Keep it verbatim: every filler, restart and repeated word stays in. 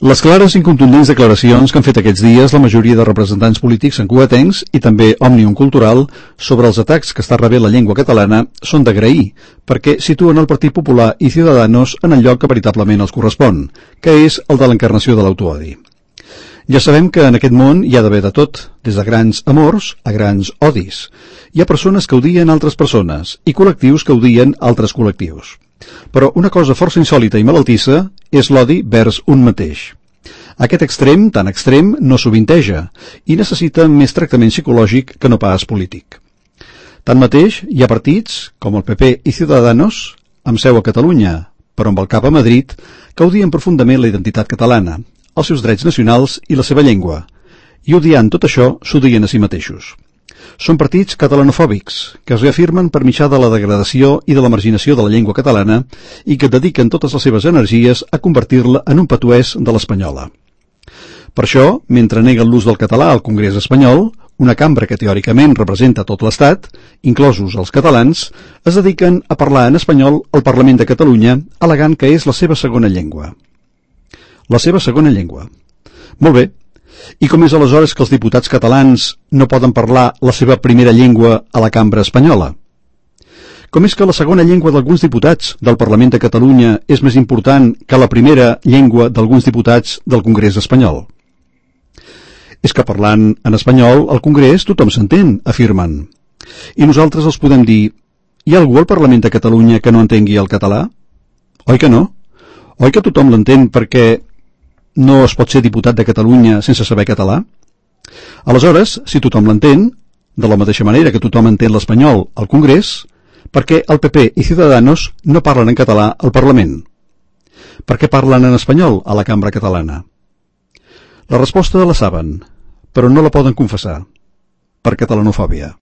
Les clares i contundents declaracions que han fet aquests dies la majoria de representants polítics santcugatencs i també Òmnium Cultural sobre els atacs que està rebent la llengua catalana són d'agrair, perquè situen el Partit Popular i Ciudadanos en el lloc que veritablement els correspon, que és el de l'encarnació de l'autoodi. Ja sabem que en aquest món hi ha d'haver de tot, des de grans amors a grans odis. Hi ha persones que odien altres persones i col·lectius que odien altres col·lectius. Però una cosa força insòlita i malaltissa és l'odi vers un mateix. Aquest extrem, tan extrem, no sovinteja i necessita més tractament psicològic que no pas polític. Tanmateix, hi ha partits, com el P P i Ciudadanos, amb seu a Catalunya, però amb el cap a Madrid, que odien profundament la identitat catalana, els seus drets nacionals i la seva llengua, i odiant tot això s'odien a si mateixos. Són partits catalanofòbics, que es reafirmen per mitjà de la degradació i de la marginació de la llengua catalana i que dediquen totes les seves energies a convertir-la en un patuès de l'espanyola. Per això, mentre neguen l'ús del català al Congrés espanyol, una cambra que teòricament representa tot l'Estat, inclosos els catalans, es dediquen a parlar en espanyol al Parlament de Catalunya, al·legant que és la seva segona llengua. La seva segona llengua. Molt bé. I com és aleshores que els diputats catalans no poden parlar la seva primera llengua a la cambra espanyola? Com és que la segona llengua d'alguns diputats del Parlament de Catalunya és més important que la primera llengua d'alguns diputats del Congrés espanyol? És que parlant en espanyol al Congrés tothom s'entén, afirmen. I nosaltres els podem dir, hi ha algú al Parlament de Catalunya que no entengui el català? Oi que no? Oi que tothom l'entén perquè no es pot ser diputat de Catalunya sense saber català? Aleshores, si tothom l'entén, de la mateixa manera que tothom entén l'espanyol al Congrés, per què el P P i Ciudadanos no parlen en català al Parlament? Per què parlen en espanyol a la cambra catalana? La resposta la saben, però no la poden confessar, per catalanofòbia.